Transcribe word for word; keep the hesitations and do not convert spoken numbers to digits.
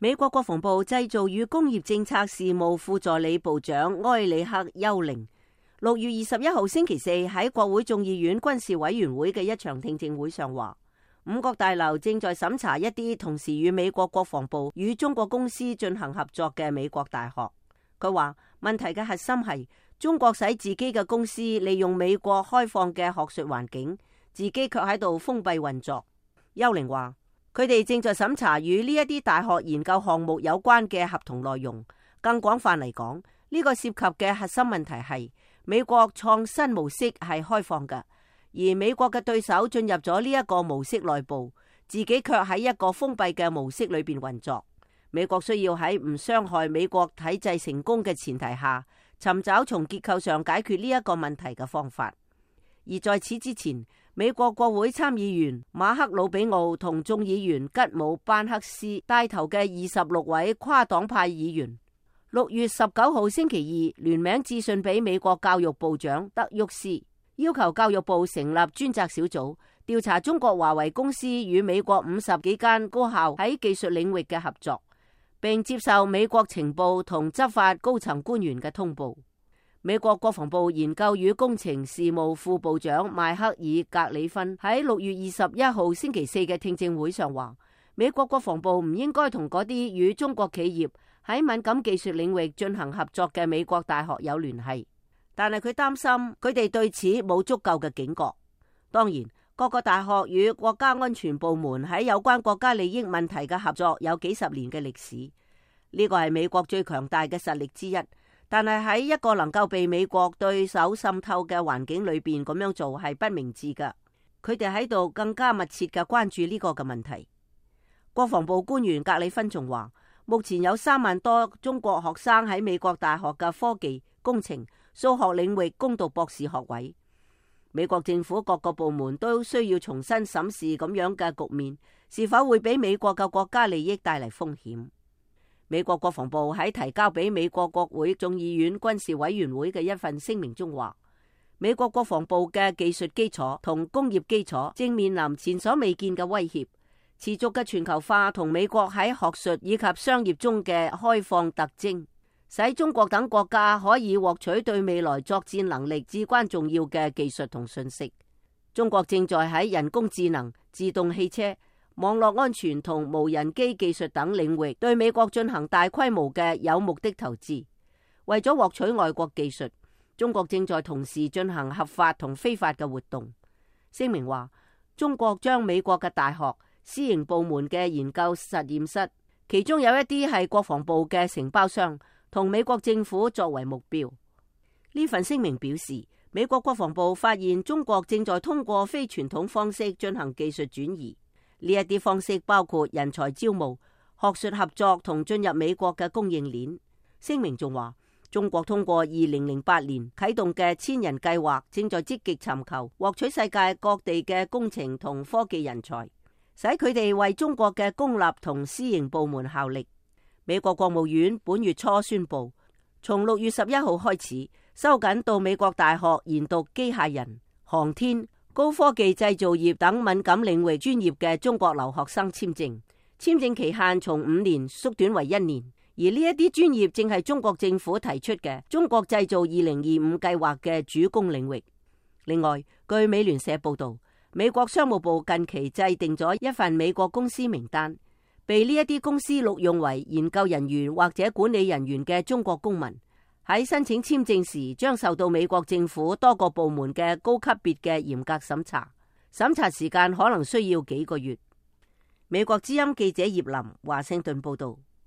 美國國防部製造與工業政策事務副助理部長埃里克·丘靈六月二十一號星期四喺國會眾議院軍事委員會嘅一場聽證會上話，五角大樓正在審查一啲同時與美國國防部與中國公司進行合作嘅美國大學。佢話問題嘅核心係中國使自己嘅公司利用美國開放嘅學術環境，自己卻喺度封閉運作。丘靈話佢哋正在審查與呢一啲大學研究項目有關嘅合同內容。更廣泛嚟講，呢個涉及嘅核心問題係美國創新模式係開放嘅，而美國嘅對手進入咗呢一個模式內部，自己卻喺一個封閉嘅模式裏邊運作。美國需要喺唔傷害美國體制成功嘅前提下，尋找從結構上解決呢一個問題嘅方法。而在此之前，美國國會參議員馬克魯比奧同眾議員吉姆班克斯帶頭嘅二十六位跨黨派議員，六月十九號星期二聯名致信俾美國教育部長德沃斯，要求教育部成立專責小組，調查中國華為公司與美國五十幾間高校喺技術領域嘅合作，並接受美國情報同執法高層官員嘅通報。美國國防部研究與工程事務副部長邁克爾·格里芬喺六月二十一號星期四嘅聽證會上話，美國國防部唔應該同嗰啲與中國企業喺敏感技術領域進行合作嘅美國大學有聯繫，但係佢擔心佢哋對此冇足夠嘅警覺。當然，各個大學與國家安全部門喺有關國家利益問題嘅合作有幾十年嘅歷史，呢個係美國最強大嘅實力之一。但係喺一個能夠被美國對手滲透嘅環境裏邊咁樣做係不明智㗎。佢哋喺度更加密切嘅關注呢個嘅問題。國防部官員格里芬仲話，目前有三萬多中國學生喺美國大學嘅科技、工程、數學領域攻讀博士學位。美國政府各個部門都需要重新審視咁樣嘅局面，是否會俾美國嘅國家利益帶嚟風險。美國國防部喺提交俾美國國會眾議院軍事委員會嘅一份聲明中話，美國國防部嘅技術基礎同工業基礎正面臨前所未見嘅威脅，持續嘅全球化同美國喺學術以及商業中嘅開放特徵，使中國等國家可以獲取對未來作戰能力至關重要嘅技術同信息。中國正在喺人工智能、自動汽車、網絡安全同無人機技術等領域對美國進行大規模嘅有目的投資。為咗獲取外國技術，中國正在同時進行合法同非法嘅活動。聲明話，中國將美國嘅大學、私營部門嘅研究實驗室，其中有一啲係國防部嘅承包商，同美國政府作為目標。呢份聲明表示，美國國防部發現中國正在通過非傳統方式進行技術轉移。呢一啲方式包括人才招募、學術合作同進入美國嘅供應鏈。聲明仲話，中國通過二零零八年啟動嘅千人計劃，正在積極尋求獲取世界各地嘅工程同科技人才，使佢哋為中國嘅公立同私營部門效力。美國國務院本月初宣布，從六月十一號開始，收緊到美國大學研讀機械人、航天、高科技製造業等敏感領域專業嘅中國留學生簽證，簽證期限從五年縮短為一年。而呢一啲專業正係中國政府提出嘅中國製造二零二五計劃嘅主攻領域。另外，據美聯社報道，美國商務部近期制定咗一份美國公司名單，被呢一啲公司錄用為研究人員或者管理人員嘅中國公民，喺申請簽證時將受到美國政府多個部門嘅高級別嘅嚴格審查，審查時間可能需要幾個月。美國之音記者葉林華盛頓報道。